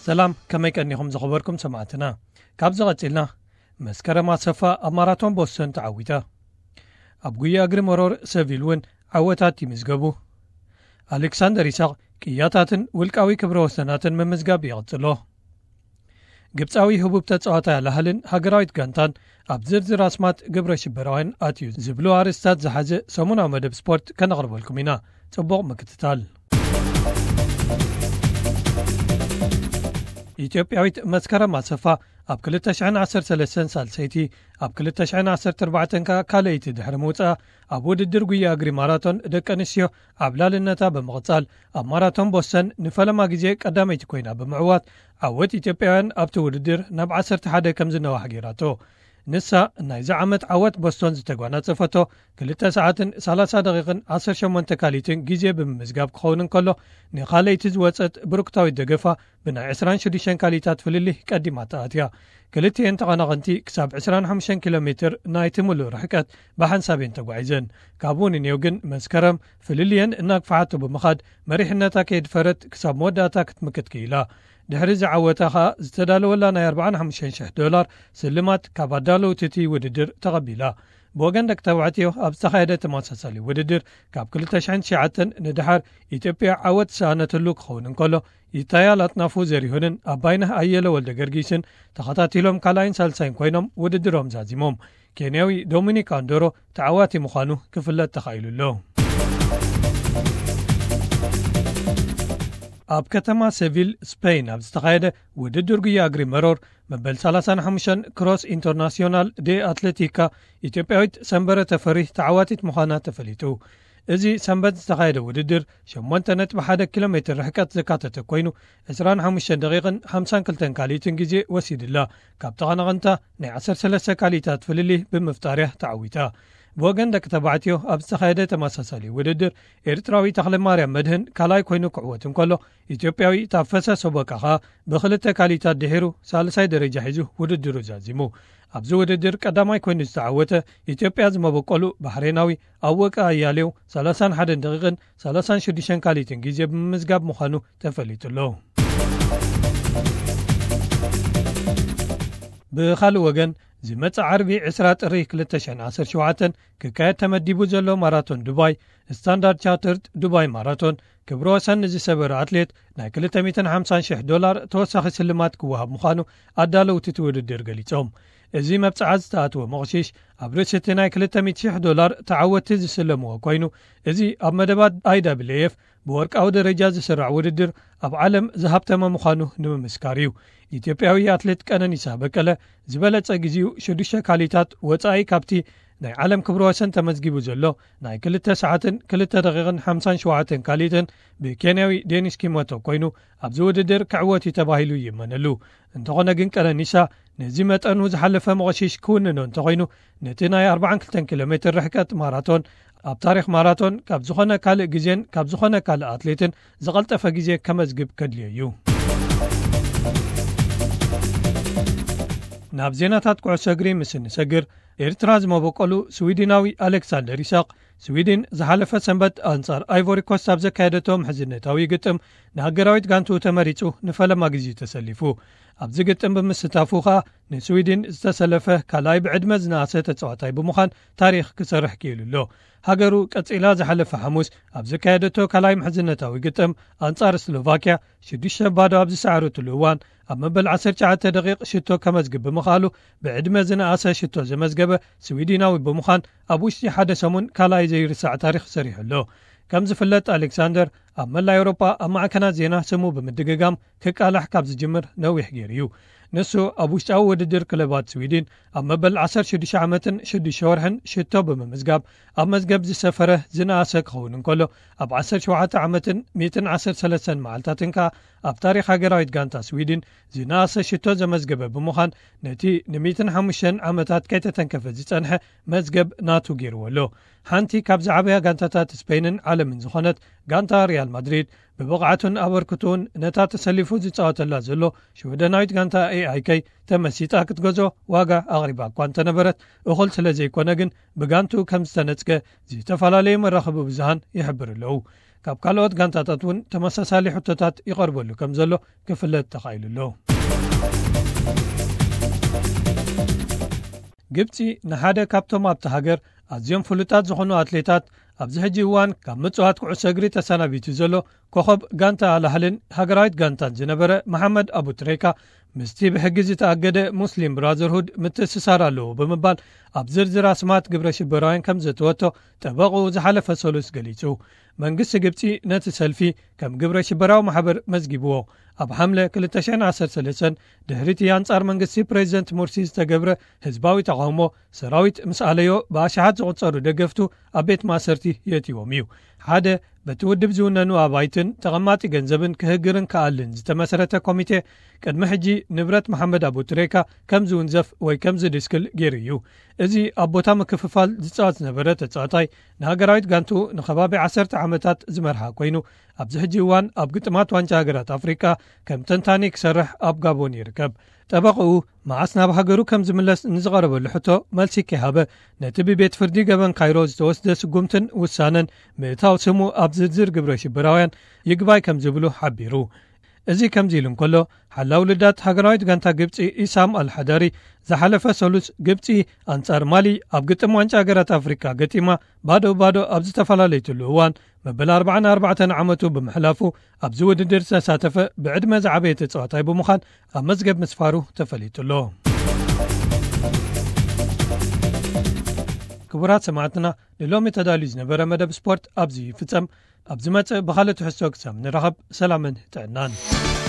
ሰላም፣ ከመይ ቀኒኹም ዝኸበርኩም ሰማዕትና? ካብዚ ቀጺልና፣ መስከረም ኣሰፋ ኣብ ማራቶን ቦስተን ተዓዊታ። ኣብ ጉያ እግሪ መሮር ሰቪል እውን ዓወታት ይምዝገቡ። ኣሌክሳንደር ይስሐቅ ቅያታትን ውልቃዊ ክብረ ወሰናትን ምምዝጋብ ይቕጽሎ። ግብጻዊ ህቡብ ተጻዋታይ ኣልኣህልን ሃገራዊት ጋንታን ኣብ ዝርዝር ኣስማት ግብረ ሽበራውያን ኣትዩ ዝብሉ ኣርእስታት ዝሓዘ ሰሙናዊ መደብ ስፖርት ከነቕርበልኩም ኢና። ጽቡቕ ምክትታል። ኢትዮጵያዊት መስከረም ኣሰፋ ኣብ ክልተ ሽሕን ዓሰርተ ሰለስተን ሳልሰይቲ፣ ኣብ ክልተ ሽሕን ዓሰርተ ኣርባዕተን ከኣ ካልኣይቲ ድሕሪ ምውጻኣ፣ ኣብ ውድድር ጉያ እግሪ ማራቶን ደቂ ኣንስትዮ ዓብላልነታ ብምቕጻል፣ ኣብ ማራቶን ቦስተን ንፈለማ ግዜ ቀዳመይቲ ኮይና ብምዕዋት፣ ዓወት ኢትዮጵያውያን ኣብቲ ውድድር ናብ ዓሰርተ ሓደ ከም ዝነዋሕ ገይራቶ። ንሳ ናይዚ ዓመት ዓወት ቦስቶን ዝተጓናጸፈቶ ክልተ ሰዓትን ሰላሳ ደቂቕን ዓሰርተ ሸሞንተ ካሊትን ግዜ ብምምዝጋብ ክኸውን እንከሎ፣ ንኻልኣይቲ ዝወጸት ብሩክታዊት ደገፋ ብናይ ዕስራን ሽዱሽተን ካሊታት ፍልልይ ቀዲማ ተኣትያ። ክልቲኤን ተቐናቐንቲ ክሳብ ዕስራን ሓሙሽተን ኪሎ ሜትር ናይቲ ምሉእ ርሕቀት ብሓንሳብ እየን ተጓዒዘን። ካብኡ ንኔው ግን መስከረም ፍልልየን እናግፍሓቶ ብምኻድ መሪሕነታ ከየድፈረት ክሳብ መወዳእታ ክትምክት ክኢላ። ድሕሪ ዝዓወታ ኸኣ ዝተዳለወላ ናይ ኣርባዓን ሓሙሽተን ሽሕ ዶላር ስልማት ካብ ኣዳለውቲ እቲ ውድድር ተቐቢላ። ብወገን ደቂ ተባዕትዮ ኣብ ዝተኻየደ ተመሳሳሊ ውድድር ካብ ክልተ ሽሕን ትሽዓተን ንደሓር ኢትዮጵያ ዓወት ዝሰኣነትሉ ክኸውን እንከሎ፣ ይታያል ኣጥናፉ ዘሪሁንን ኣባይነህ ኣየለ ወልደ ገርጊስን ተኸታቲሎም ካልኣይን ሳልሳይን ኮይኖም ውድድሮም ዛዚሞም። ኬንያዊ ዶሚኒክ ኣንዶሮ ተዓዋቲ ምዃኑ ክፍለጥ ተኻኢሉ ኣሎ። ኣብ ከተማ ሴቪል ስፔን ኣብ ዝተኻየደ ውድድር ጉያ እግሪ መሮር መበል ሰላሳን ሓሙሽተን ክሮስ ኢንተርናሲዮናል ዴ ኣትሌቲካ፣ ኢትዮጵያዊት ሰንበረ ተፈሪ ተዓዋቲት ምዃና ተፈሊጡ። እዚ ሰንበት ዝተኻየደ ውድድር ሸሞንተ ነጥቢ ሓደ ኪሎ ሜትር ርሕቀት ዘካተተ ኮይኑ፣ ዕስራን ሓሙሽተን ደቂቕን ሓምሳን ክልተን ካልኢትን ግዜ ወሲድላ። ካብ ተቐናቐንታ ናይ ዓሰርተ ሰለስተ ካልኢታት ፍልልይ ብምፍጣርያ ተዓዊታ። ብወገን ደቂ ተባዕትዮ ኣብ ዝተኻየደ ተመሳሳሊ ውድድር፣ ኤርትራዊ ተኽለማርያም መድህን ካልኣይ ኮይኑ ክዕወት እንከሎ፣ ኢትዮጵያዊ ታፈሰ ሶበቃ ኸኣ ብኽልተ ካልኢታት ድሒሩ ሳልሳይ ደረጃ ሒዙ ውድድሩ ዛዚሙ። ኣብዚ ውድድር ቀዳማይ ኮይኑ ዝተዓወተ ኢትዮጵያ ዝመበቆሉ ባሕሬናዊ ኣወቀ ኣያሌው ሰላሳን ሓደን ደቂቕን ሰላሳን ሽዱሽተን ካልኢትን ግዜ ብምምዝጋብ ምዃኑ ተፈሊጡ ኣሎ። ብኻልእ ወገን፣ ዝመጽእ ዓርቢ ዕስራ ጥሪ ክልተ ሽሕን ዓሰርተ ሸውዓተን ክካየድ ተመዲቡ ዘሎ ማራቶን ዱባይ ስታንዳርድ ቻርተርድ ዱባይ ማራቶን ክብረ ወሰን ንዝሰበረ ኣትሌት ናይ ክልተ ሚእትን ሓምሳን ሽሕ ዶላር ተወሳኺ ስልማት ክወሃብ ምዃኑ ኣዳለውቲ እቲ ውድድር ገሊጾም። እዚ መብጽዓ ዝተኣትወ መቕሺሽ ኣብ ርእሲ እቲ ናይ ክልተ ሚእቲ ሽሕ ዶላር ተዓወትቲ ዝስለምዎ ኮይኑ፣ እዚ ኣብ መደባት ኣይ ደብሊው ኤፍ ብወርቃዊ ደረጃ ዝስራዕ ውድድር ኣብ ዓለም ዝሃብተመ ምዃኑ ንምምስካር እዩ። ኢትዮጵያዊ ኣትሌት ቀነኒሳ በቀለ ዝበለጸ ግዜኡ ሽዱሽተ ካልኢታት ወጻኢ ካብቲ ናይ ዓለም ክብረ ወሰን ተመዝጊቡ ዘሎ ናይ ክልተ ሰዓትን ክልተ ደቂቕን ሓምሳን ሸውዓተን ካልኢትን ብኬንያዊ ዴኒስ ኪሞቶ ኮይኑ ኣብዚ ውድድር ክዕወት እዩ ተባሂሉ ይእመነሉ። እንተኾነ ግን ቀነኒሳ ነዚ መጠኑ ዝሓለፈ መቐሺሽ ክውንኖ እንተኾይኑ ነቲ ናይ ኣርባዓን ክልተን ኪሎ ሜትር ርሕቀት ማራቶን ኣብ ታሪኽ ማራቶን ካብ ዝኾነ ካልእ ግዜን ካብ ዝኾነ ካልእ ኣትሌትን ዝቐልጠፈ ግዜ ከመዝግብ ከድልዮ እዩ። ናብ ዜናታት ኩዕሶ እግሪ ምስ እንሰግር፣ ኤርትራ ዝመበቆሉ ስዊድናዊ ኣሌክሳንደር ይስሐቅ፣ ስዊድን ዝሓለፈ ሰንበት ኣንጻር ኣይቮሪ ኮስት ኣብ ዘካየደቶ ምሕዝነታዊ ግጥም ንሃገራዊት ጋንትኡ ተመሪጹ ንፈለማ ግዜ ተሰሊፉ። ኣብዚ ግጥም ብምስታፉ ከኣ ንስዊድን ዝተሰለፈ ካልኣይ ብዕድመ ዝነኣሰ ተጻዋታይ ብምዃን ታሪኽ ክሰርሕ ክኢሉ ኣሎ። ሃገሩ ቀጺላ ዝሓለፈ ሓሙስ ኣብ ዘካየደቶ ካልኣይ ምሕዝነታዊ ግጥም ኣንጻር ስሎቫክያ ሽዱሽተ ባዶ ኣብ ዝሰዓረትሉ እዋን ኣብ መበል ዓሰርተ ትሽዓተ ደቂቕ ሽቶ ከመዝግብ ብምኽኣሉ ብዕድመ ዝነኣሰ ሽቶ ዘመዝገበ ስዊድናዊ ብምዃን ኣብ ውሽጢ ሓደ ሰሙን ካልኣይ ዘይርሳዕ ታሪኽ ሰሪሑ ኣሎ። ከም ዝፍለጥ ኣሌክሳንደር ኣብ መላእ ኤውሮጳ ኣብ ማዕከናት ዜና ስሙ ብምድግጋም ክቃላሕ ካብ ዝጅምር ነዊሕ ገይሩ እዩ። ንሱ ኣብ ውሽጣዊ ውድድር ክለባት ስዊድን ኣብ መበል ዓሰርተ ሽዱሽተ ዓመትን ሽዱሽተ ወርሕን ሽቶ ብምምዝጋብ ኣብ መዝገብ ዝሰፈረ ዝነኣሰ ክኸውን እንከሎ፣ ኣብ ዓሰርተ ሸውዓተ ዓመትን ሚእትን ዓሰርተ ሰለስተን መዓልታትን ከኣ ኣብ ታሪኽ ሃገራዊት ጋንታ ስዊድን ዝነኣሰ ሽቶ ዘመዝገበ ብምዃን ነቲ ንሚእትን ሓሙሽተን ዓመታት ከይተተንከፈ ዝጸንሐ መዝገብ ናቱ ገይርዎ ኣሎ። ሓንቲ ካብ ዝዓበያ ጋንታታት ስፔንን ዓለምን ዝኾነት ጋንታ ሪያል ማድሪድ ብብቕዓቱን ኣበርክቶኡን ነታ ተሰሊፉ ዝጻወተላ ዘሎ ሽወደናዊት ጋንታ ኤኣይከይ ተመሲጣ ክትገዝኦ ዋጋ ኣቕሪባ እኳ እንተነበረት፣ እኹል ስለ ዘይኮነ ግን ብጋንትኡ ከም ዝተነጽገ ዝተፈላለዩ መራኸቢ ብዙሃን ይሕብሩ ኣለዉ። ካብ ካልኦት ጋንታታት እውን ተመሳሳሊ ሕቶታት ይቐርበሉ ከም ዘሎ ክፍለጥ ተኻኢሉ ኣሎ። ግብፂ ንሓደ ካብቶም ኣብቲ ሃገር ኣዝዮም ፍሉጣት ዝኾኑ ኣትሌታት፣ ኣብዚ ሕጂ እዋን ካብ ምጽዋት ኩዕሶ እግሪ ተሰናቢቱ ዘሎ ኮኸብ ጋንታ ኣልኣህልን ሃገራዊት ጋንታን ዝነበረ መሓመድ ኣቡትሬካ ምስቲ ብሕጊ ዝተኣገደ ሙስሊም ብራዘርሁድ ምትእስሳር ኣለዎ ብምባል ኣብ ዝርዝር ኣስማት ግብረ ሽበራውያን ከም ዘተወቶ ጠበቕኡ ዝሓለፈ ሰሉስ ገሊጹ። መንግስቲ ግብጺ ነቲ ሰልፊ ከም ግብረ ሽበራዊ ማሕበር መዝጊብዎ። ኣብ ሓምለ ክልተ ሽሕን ዓሰርተ ሰለስተን ድሕሪቲ ኣንጻር መንግስቲ ፕሬዚደንት ሙርሲ ዝተገብረ ህዝባዊ ተቓውሞ፣ ሰራዊት ምስ ኣለዮ ብኣሽሓት ዝቑጸሩ ደገፍቱ ኣብ ቤት ማእሰርቲ የእትዎም እዩ። ሓደ በቲ ውድብ ዝውነኑ ኣባይትን ተቐማጢ ገንዘብን ክህግርን ክኣልን ዝተመስረተ ኮሚቴ፣ ቅድሚ ሕጂ ንብረት መሓመድ ኣቡትሬካ ከም ዝውንዘፍ ወይ ከም ዝድስክል ገይሩ እዩ። እዚ ኣብ ቦታ ምክፍፋል ዝጻወት ዝነበረ ተጻዋታይ፣ ንሃገራዊት ጋንቱ ንከባቢ ዓሰርተ ዓመታት ዝመርሓ ኮይኑ፣ ኣብዚ ሕጂ እዋን ኣብ ግጥማት ዋንጫ ሃገራት ኣፍሪቃ ከም ተንታኒ ክሰርሕ ኣብ ጋቦን ይርከብ። ጠበቕኡ መዓስ ናብ ሃገሩ ከም ዝምለስ ንዝቐረበሉ ሕቶ መልሲ ከይሃበ፣ ነቲ ብቤት ፍርዲ ገበን ካይሮ ዝተወስደ ስጉምትን ውሳነን ምእታው ስሙ ኣብ ዝርዝር ግብረ ሽበራውያን ይግባይ ከም ዝብሉ ሓቢሩ። እዚ ከምዚ ኢሉ እንከሎ፣ ሓላው ልዳት ሃገራዊት ጋንታ ግብጺ ኢሳም ኣልሓዳሪ ዝሓለፈ ሰሉስ ግብጺ ኣንጻር ማሊ ኣብ ግጥም ዋንጫ ሃገራት ኣፍሪቃ ገጢማ ባዶ ባዶ ኣብ ዝተፈላለየትሉ እዋን፣ መበል ኣርባዓን ኣርባዕተን ዓመቱ ብምሕላፉ ኣብዚ ውድድር ዝተሳተፈ ብዕድመ ዝዓበየ ተጻዋታይ ብምዃን ኣብ መዝገብ ምስፋሩ ተፈሊጡ ኣሎ። ክቡራት ሰማዕትና፣ ንሎሚ ተዳልዩ ዝነበረ መደብ ስፖርት ኣብዚ ይፍጸም። ኣብ ዝመጽእ ብኻልእ ትሕዝቶ ክሳብ ንራኸብ፣ ሰላምን ጥዕናን።